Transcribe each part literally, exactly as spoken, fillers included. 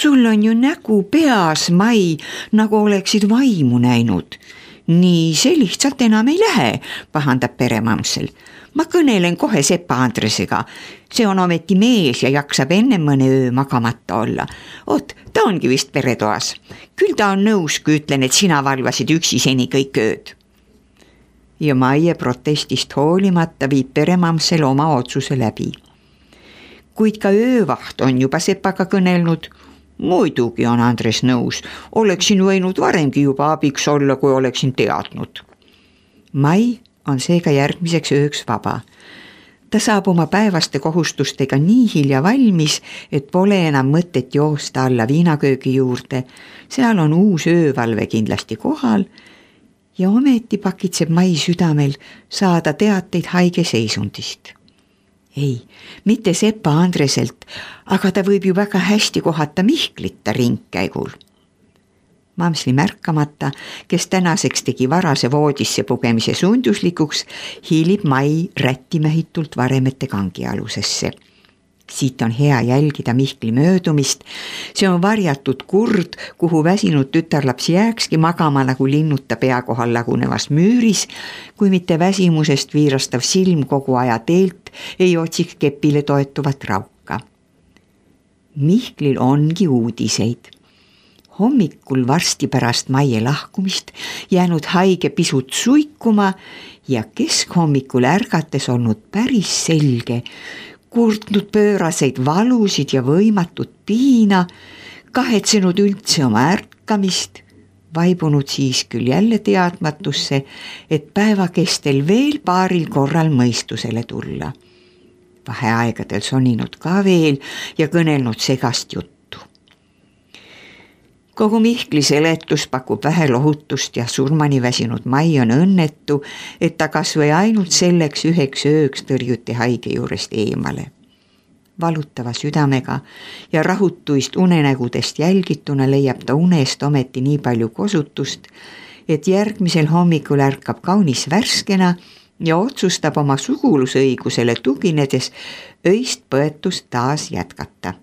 sul on ju nägu peas, Mai, nagu oleksid vaimu näinud. Nii see lihtsalt enam ei lähe, pahandab peremamsel. Ma kõnelen kohe Sepa Andresega. See on ometi mees ja jaksab enne mõne öö magamata olla. Oot, ta ongi vist peretoas. Küll ta on nõus, kui ütlen, et sina valvasid üksi seni kõik ööd. Ja Maie protestist hoolimata viib peremamsel oma otsuse läbi. Kuid ka öövaht on juba Sepaga kõnelnud. Muidugi on Andres nõus. Oleksin võinud varemgi juba abiks olla, kui oleksin teadnud. Mai on seega järgmiseks ööks vaba. Ta saab oma päevaste kohustustega nii hilja valmis, et pole enam mõtet joosta alla viinaköögi juurde. Seal on uus öövalve kindlasti kohal ja ometi pakitseb Mai südamel saada teateid haige seisundist. Ei, mitte Sepa Andreselt, aga ta võib ju väga hästi kohata Mihklita ringkäigul. Mamsli märkamata, kes tänaseks tegi varase voodisse pugemise sunduslikuks, hiilib Mai rättimehitult varemete kangialusesse. Siit on hea jälgida Mihkli möödumist. See on varjatud kurd, kuhu väsinud tütarlaps jääkski magama nagu linnuta pea kohal lagunevas müüris, kui mitte väsimusest viirastav silm kogu aja teelt ei otsiks kepile toetuvat rauka. Mihklil ongi uudiseid. Hommikul varsti pärast Maie lahkumist jäänud haige pisut suikuma ja keskhommikul ärgates olnud päris selge, kurtnud pööraseid valusid ja võimatut piina, kahetsenud üldse oma ärkamist, vaibunud siis küll jälle teadmatusse, et päeva kestel veel paaril korral mõistusele tulla. Vaheaegadel soninud ka veel ja kõnelnud segast juttu. Kogu Mihkli seletus pakub vähe lohutust ja surmani väsinud Mai on õnnetu, et ta kas või ainult selleks üheks ööks tõrjuti haige juurest eemale. Valutava südamega ja rahutuist unenägudest jälgituna leiab ta unest ometi nii palju kosutust, et järgmisel hommikul ärkab kaunis värskena ja otsustab oma sugulusõigusele tuginedes öist põetust taas jätkata.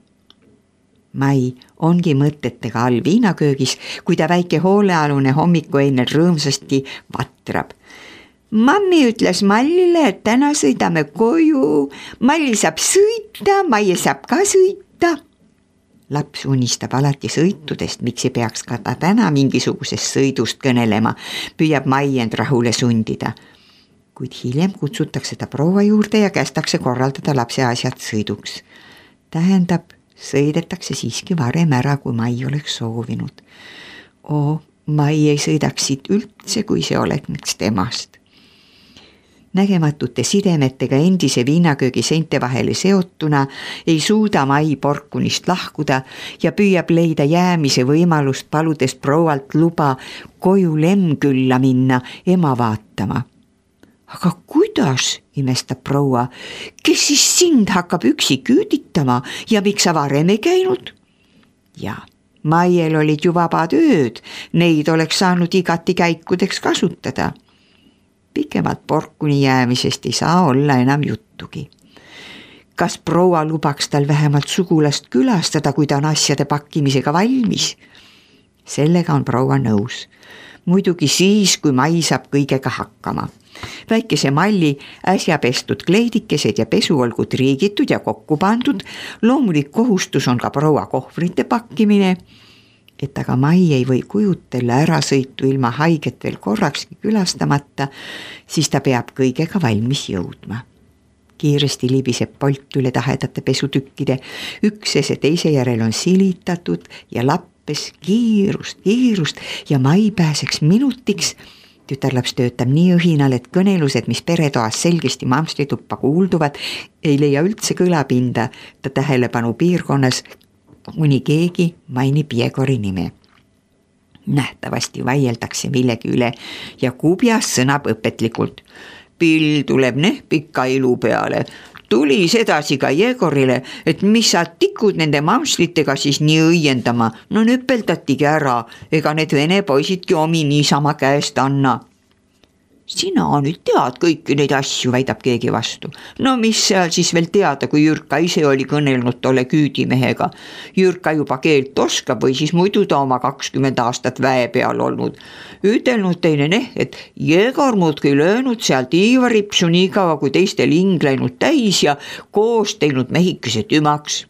Mai ongi mõtetega all viinaköögis, kui ta väike hoolealune hommiku ennel rõõmsasti vatrab. Mammi ütles Mallile, et täna sõidame koju. Malli saab sõita, Maie saab ka sõita. Laps unistab alati sõitudest, miks ei peaks ka ta täna mingisugusest sõidust kõnelema, püüab Mai end rahule sundida. Kuid hiljem kutsutakse ta proua juurde ja kästakse korraldada lapse asjad sõiduks. Tähendab, sõidetakse siiski varem ära, kui Mai oleks soovinud. Oo, Mai ei sõidaks siit üldse, kui see oleks temast. Nägematute sidemetega endise viinaköögi seinte vahele seotuna ei suuda Mai porkunist lahkuda ja püüab leida jäämise võimalust, paludes proualt luba koju Lemkülla minna ema vaatama. Aga kuidas, imestab proua, kes siis sind hakkab üksi küüditama ja miks sa varem ei käinud? Ja, Maiel olid ju vabad ööd, neid oleks saanud igati käikudeks kasutada. Pikemalt porkuni jäämisest ei saa olla enam juttugi. Kas proua lubaks tal vähemalt sugulast külastada, kui ta on asjade pakkimisega valmis? Sellega on proua nõus. Muidugi siis, kui Mai saab kõigega hakkama. Väikese Malli äsja pestud kleidikesed ja pesu olgu triigitud ja kokku pandud, loomulik kohustus on ka proua kohvrite pakkimine, et aga Mai ei või kujutella ära sõitu ilma haiget veel korrakski külastamata, siis ta peab kõigega valmis jõudma. Kiiresti libiseb polt üle tahedate pesutükkide, üksese teise järel on silitatud ja lappes kiirust, kiirust ja Mai pääseks minutiks. Tütarlaps töötab nii õhinal, et kõnelused, mis peretoas selgesti mamslituppa kuulduvad, ei leia üldse kõlapinda ta tähelepanu piirkonnas, kuni keegi mainib Jegori nime. Nähtavasti vaieldakse millegi üle ja Kubjas sõnab õpetlikult. Pill tuleb nehpika ilu peale. Tuli sedasi ka Jegorile, et mis sa tikud nende mamslitega siis nii õiendama. No nüpeldatigi ära, ega need vene poisidki omi niisama käest anna. Sina nüüd tead kõiki neid asju, väidab keegi vastu. No mis seal siis veel teada, kui Jürka ise oli kõnelnud tolle küüdimehega. Jürka juba keelt oskab või siis muidu ta oma kakskümmend aastat väe peal olnud. Ütelnud teine neh, et Jegor muudki löönud sealt Iivaripsu nii kaua kui teistel hing läinud täis ja koos teinud mehikese tümaks.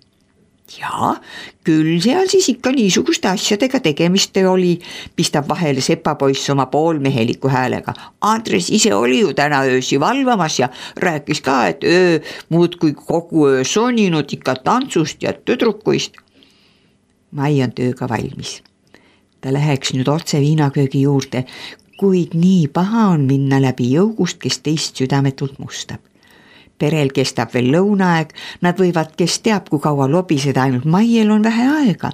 Ja, küll seal siis ikka niisuguste asjadega tegemist oli, pistab vahele sepapoiss oma poolmeheliku häälega. Andres ise oli ju täna öösi valvamas ja rääkis ka, et öö muud kui kogu öö soninud ikka tantsust ja tüdrukuist. Mai on tööga valmis. Ta läheks nüüd otse viinaköögi juurde, kuid nii paha on minna läbi jõugust, kes teist südametult mustab. Perel kestab veel lõunaaeg, nad võivad, kes teab, kui kaua lobiseda, ainult Maiel on vähe aega.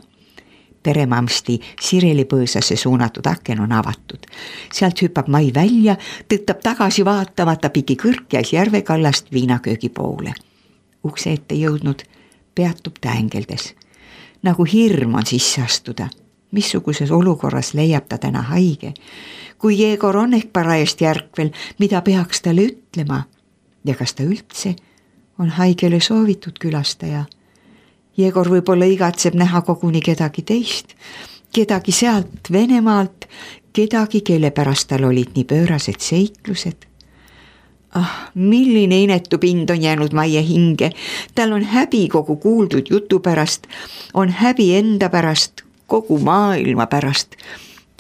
Peremamsti Sireli põõsasse suunatud aken on avatud. Sealt hüppab Mai välja, tõttab tagasi vaatamata pigi kõrkjais järvekallast viinaköögi poole. Ukse ette jõudnud, peatub ta ängeldes. Nagu hirm on sisse astuda. Missuguses olukorras leiab ta täna haige. Kui Jegor on ehk parajast järkvel, mida peaks talle ütlema? Ja kas ta üldse on haigele soovitud külastaja? Jegor võib-olla igatseb näha koguni kedagi teist, kedagi sealt Venemaalt, kedagi, kelle pärast tal olid nii pöörased seiklused. Ah, milline inetu pind on jäänud Maie hinge, tal on häbi kogu kuuldud jutu pärast, on häbi enda pärast, kogu maailma pärast.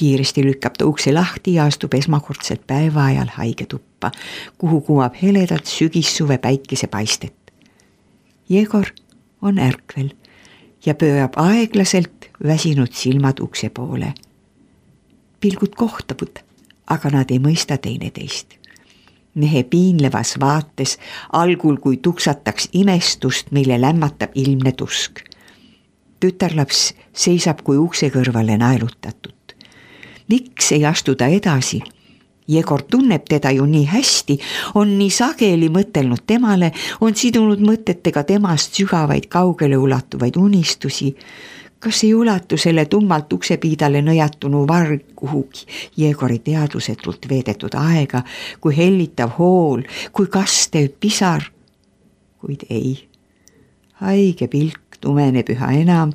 Kiiresti lükkab ta ukse lahti ja astub esmakordselt päeva ajal haige tuppa, kuhu kumab heledalt sügissuve päikese paistet. Jegor on ärkvel ja pöörab aeglaselt väsinud silmad ukse poole. Pilgud kohtabud, aga nad ei mõista teineteist. Mehe piinlevas vaates algul kui tuksataks imestust, mille lämmatab ilmne tusk. Tütarlaps seisab kui ukse kõrvale naelutatud. Miks ei astu ta edasi? Jegor tunneb teda ju nii hästi, on nii sageli mõtelnud temale, on sidunud mõtetega temast sügavaid kaugele ulatuvaid unistusi. Kas ei ulatu selle tummalt uksepiidale nõjatunu varg kuhugi Jegori teadvusetult veedetud aega, kui hellitav hool, kui kastev pisar? Kuid ei. Haige pilk tumeneb üha enam.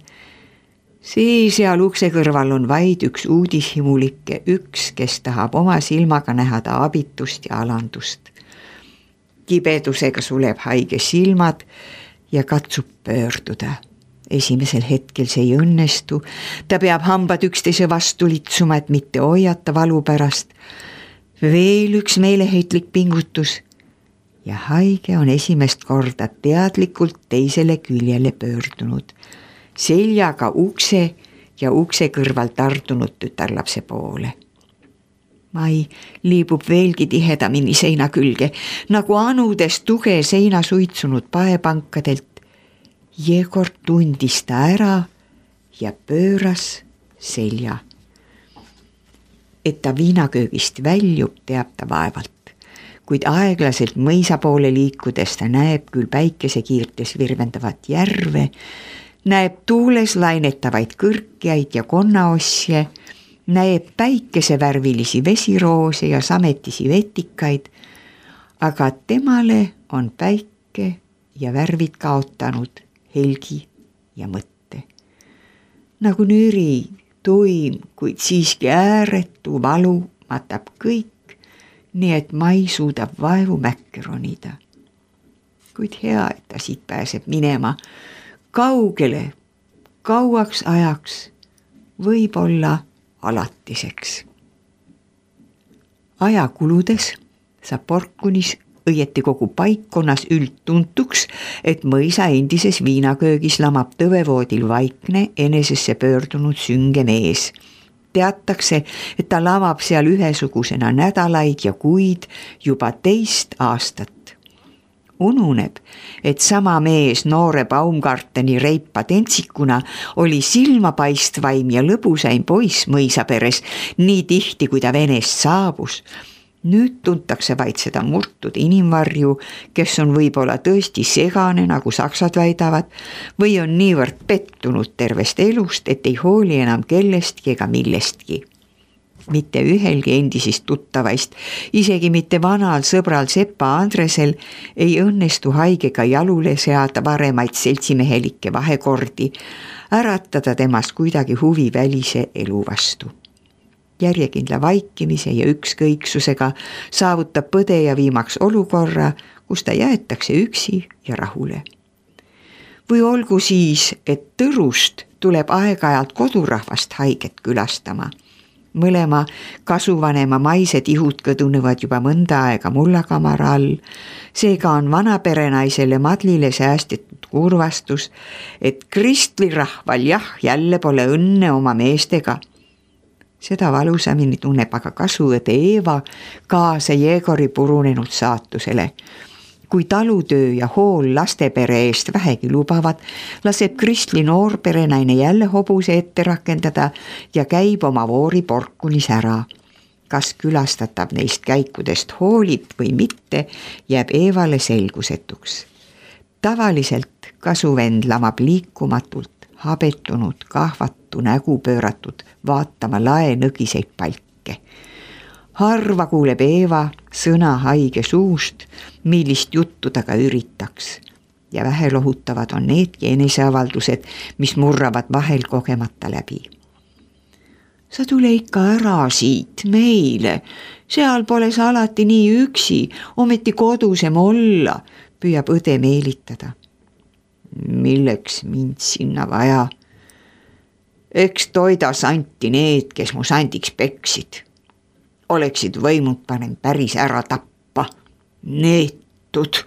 Siis seal ukse kõrval on vaid üks uudishimulikke, üks, kes tahab oma silmaga näha ta abitust ja alandust. Kibedusega suleb haige silmad ja katsub pöörduda. Esimesel hetkel see ei õnnestu, ta peab hambad üksteise vastu litsuma, et mitte hoiata valu pärast. Veel üks meeleheitlik pingutus ja haige on esimest korda teadlikult teisele küljele pöördunud. Seljaga ukse ja ukse kõrval tardunud tütarlapse poole. Mai liibub veelgi tihedamini seina külge, nagu anudes tuge seina suitsunud paepankadelt. Jegor tundis ta ära ja pööras selja. Et ta viinaköögist väljub, teab ta vaevalt, kuid aeglaselt mõisa poole liikudes ta näeb küll päikesekiirtes virvendavat järve, näeb tuules lainetavaid kõrkjaid ja konnaosje, näeb päikesevärvilisi vesiroose ja sametisi vetikaid, aga temale on päike ja värvid kaotanud helgi ja mõtte. Nagu nüri, tuim, kuid siiski ääretu valu matab kõik, nii et Mai suudab vaevu mäkke ronida. Kuid hea, et ta siit pääseb minema, kaugele, kauaks ajaks, võib-olla alatiseks. Aja kuludes saab Porkunis õieti kogu paikkonnas üldtuntuks, et mõisa endises viinaköögis lamab tõvevoodil vaikne enesesse pöördunud sünge mees. Teatakse, et ta lamab seal ühesugusena nädalaid ja kuid juba teist aastat. Ununeb, et sama mees noore Baumgarteni reipa tentsikuna oli silmapaistvaim ja lõbusaim poiss mõisaperes nii tihti, kui ta Venest saabus. Nüüd tuntakse vaid seda murtud inimvarju, kes on võib-olla tõesti segane, nagu saksad väidavad, või on niivõrd pettunud tervest elust, et ei hooli enam kellestki ega millestki. mitte ühelgi endisist tuttavaist, isegi mitte vanal sõbral Sepa Andresel ei õnnestu haigega jalule seada varemaid seltsimehelikke vahekordi, äratada temast kuidagi huvi välise elu vastu. Järjekindla vaikimise ja ükskõiksusega saavutab põdeja viimaks olukorra, kus ta jäetakse üksi ja rahule. Või olgu siis, et Tõrust tuleb aeg-ajalt kodurahvast haiget külastama. Mõlema kasuvanema maised ihud kõdunevad juba mõnda aega mullakamara all, seega on vanaperenaisele Madlile säästetud kurvastus, et Kristli rahval jah, jälle pole õnne oma meestega. Seda valusamini tunneb aga kasuõde Eeva kaasa Jeegori purunenud saatusele. Kui talutöö ja hool lastepere eest vähegi lubavad, laseb Kristli noorperenaine jälle hobuse ette rakendada ja käib oma voori porkunis ära. Kas külastatav neist käikudest hoolib või mitte, jääb Eevale selgusetuks. Tavaliselt kasuvend lamab liikumatult, habetunud, kahvatu nägu pööratud, vaatama lae nõgiseid palke. Harva kuuleb Eeva sõna haige suust, millist juttu ta ka üritaks. Ja vähe lohutavad on needki eneseavaldused, mis murravad vahel kogemata läbi. Sa tule ikka ära siit meile, seal pole sa alati nii üksi, ometi kodusem olla, püüab õde meelitada. Milleks mind sinna vaja? Eks toida santi need, kes mu sandiks peksid. Oleksid võimud panen päris ära tappa. Neetud.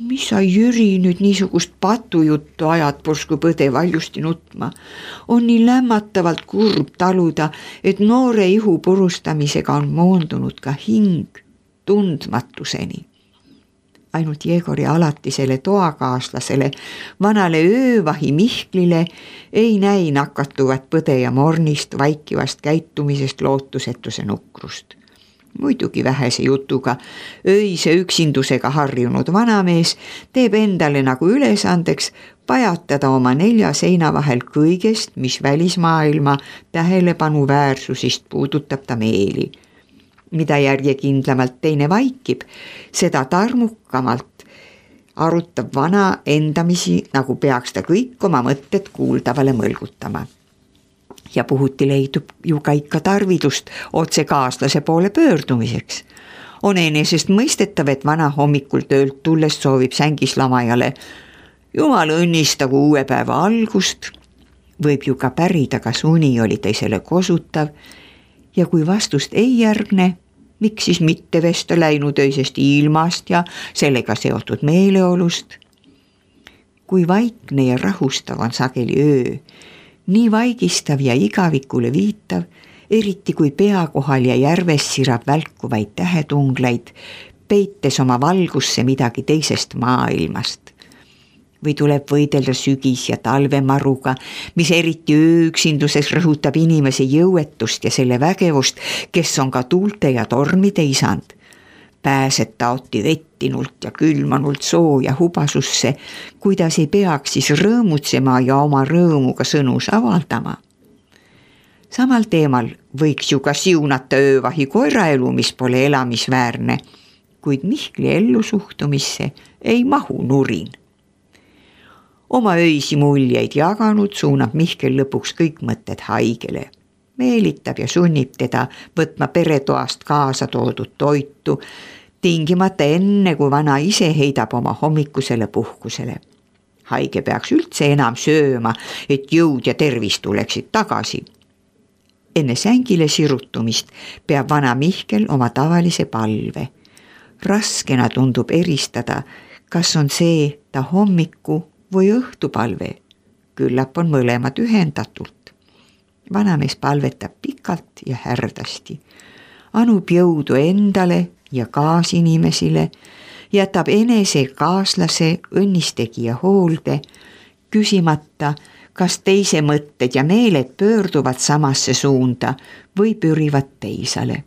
Mis sa, Jüri, nüüd niisugust patujuttu ajad, pursku põde valjusti nutma? On nii lämmatavalt kurb taluda, et noore ihu purustamisega on moondunud ka hing tundmatuseni. Ainult Jeegori alatisele toakaaslasele, vanale öövahi Mihklile ei näi nakatuvat põde ja mornist vaikivast käitumisest lootusetuse nukrust. Muidugi vähese jutuga, öise üksindusega harjunud vanamees teeb endale nagu ülesandeks pajatada oma nelja seina vahel kõigest, mis välismaailma tähelepanu väärsusist puudutab ta meeli. Mida järjekindlamalt teine vaikib, seda tarmukamalt arutab vana endamisi, nagu peaks ta kõik oma mõtted kuuldavale mõlgutama. Ja puhuti leidub ju ka ikka tarvidust otse kaaslase poole pöördumiseks. On enesest mõistetav, et vana hommikul töölt tulles soovib sängis lamajale Jumal õnnistagu uue päeva algust, võib ju ka pärida, kas uni oli teisele kosutav, ja kui vastust ei järgne, miks siis mitte vesta läinud öisest ilmast ja sellega seotud meeleolust? Kui vaikne ja rahustav on sageli öö, nii vaigistav ja igavikule viitav, eriti kui pea kohal ja järves sirab välkuvaid tähetunglaid, peites oma valgusse midagi teisest maailmast. Või tuleb võidelda sügis ja talvemaruga, mis eriti ööüksinduses rõhutab inimese jõuetust ja selle vägevust, kes on ka tuulte ja tormide isand. Pääsed taoti vettinult ja külmanult sooja hubasusse, kuidas ei peaks siis rõõmutsema ja oma rõõmuga sõnus avaldama. Samal teemal võiks ju ka siunata öövahi koeraelu, mis pole elamisväärne, kuid Mihkli ellu suhtumisse ei mahu nurin. Oma öisi muljeid jaganud suunab Mihkel lõpuks kõik mõtted haigele. Meelitab ja sunnib teda võtma peretoast kaasa toodud toitu, tingimata enne, kui vana ise heidab oma hommikusele puhkusele. Haige peaks üldse enam sööma, et jõud ja tervis tuleksid tagasi. Enne sängile sirutumist peab vana Mihkel oma tavalise palve. Raskena tundub eristada, kas on see ta hommiku või õhtupalve, küllap on mõlemad ühendatult. Vanamees palvetab pikalt ja härdasti, anub jõudu endale ja kaasinimesile, jätab enese kaaslase õnnistegija hoolde, küsimata, kas teise mõtted ja meeled pöörduvad samasse suunda või pürivad teisale.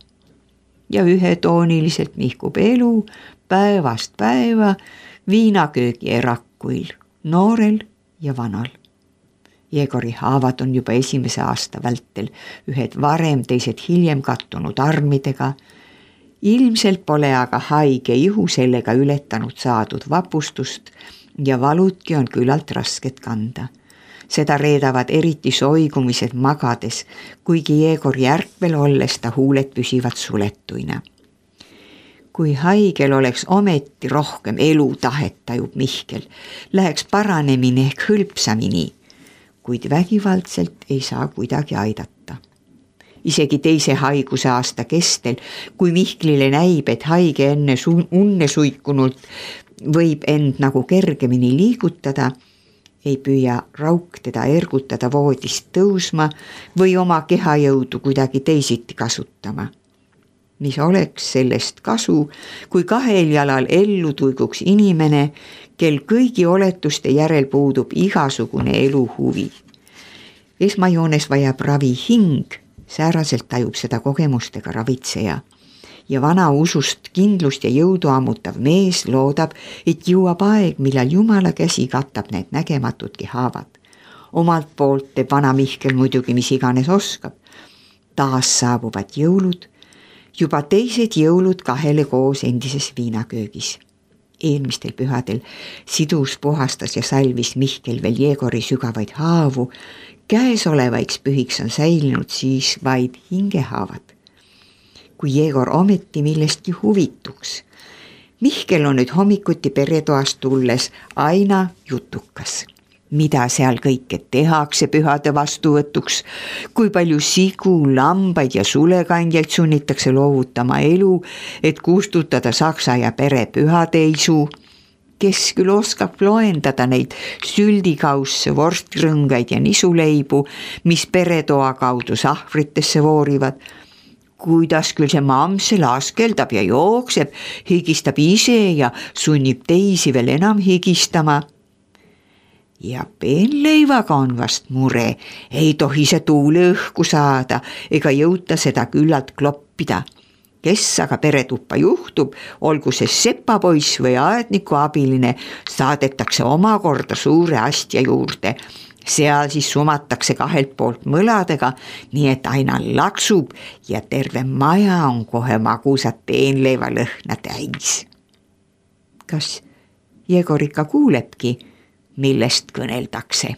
Ja ühetooniliselt nihkub elu päevast päeva viinaköögi erakuil, noorel ja vanal. Jegori haavad on juba esimese aasta vältel, ühed varem, teised hiljem kattunud armidega. Ilmselt pole aga haige ihu sellega ületanud saadud vapustust ja valutki on küllalt rasket kanda. Seda reedavad eriti soigumised magades, kuigi Jegori ärkvel olles ta huuled püsivad suletuina. Kui haigel oleks ometi rohkem elutahet, tajub Mihkel, läheks paranemine ehk hõlpsamini, kuid vägivaldselt ei saa kuidagi aidata. Isegi teise haiguse aasta kestel, kui Mihklile näib, et haige enne su- unne suikunult võib end nagu kergemini liigutada, ei püüa Rauk teda ergutada voodist tõusma või oma kehajõudu kuidagi teisiti kasutama. Mis oleks sellest kasu, kui kahel jalal ellu tuiguks inimene, kel kõigi oletuste järel puudub igasugune eluhuvi. Esmajoones vajab ravi hing, sääraselt tajub seda kogemustega ravitseja. Ja vana usust kindlust ja jõudu ammutav mees loodab, et jõuab aeg, millal Jumala käsi katab need nägematudki haavad. Omalt poolt teeb vana Mihkel muidugi mis iganes oskab. Taas saabuvad jõulud, juba teised jõulud kahele koos endises viinaköögis. Eelmistel pühadel sidus, puhastas ja salvis Mihkel veel Jegori sügavaid haavu. Käesolevaiks pühiks on säilinud siis vaid hingehaavad. Kui Jegor ometi millestki huvituks. Mihkel on nüüd hommikuti peretoast tulles aina jutukas. Mida seal kõike tehakse pühade vastuvõtuks, kui palju sigu, lambaid ja sulekandjaid sunnitakse loovutama elu, et kustutada saksa ja pere pühateisu, kes küll oskab loendada neid süldikausse, vorstrõngaid ja nisuleibu, mis peretoa kaudu sahvritesse voorivad, kuidas küll see mamse laskeldab ja jookseb, higistab ise ja sunnib teisi veel enam higistama. Ja peenleivaga on vast mure, ei tohi see tuule õhku saada ega jõuta seda küllalt kloppida. Kes aga peretuppa juhtub, olgu see sepapoiss või aedniku abiline, saadetakse omakorda suure astja juurde. Seal siis sumatakse kahelt poolt mõladega, nii et aina laksub ja terve maja on kohe magusat peenleiva lõhna täis. Kas Jegor ikka kuulebki, millest kõneldakse?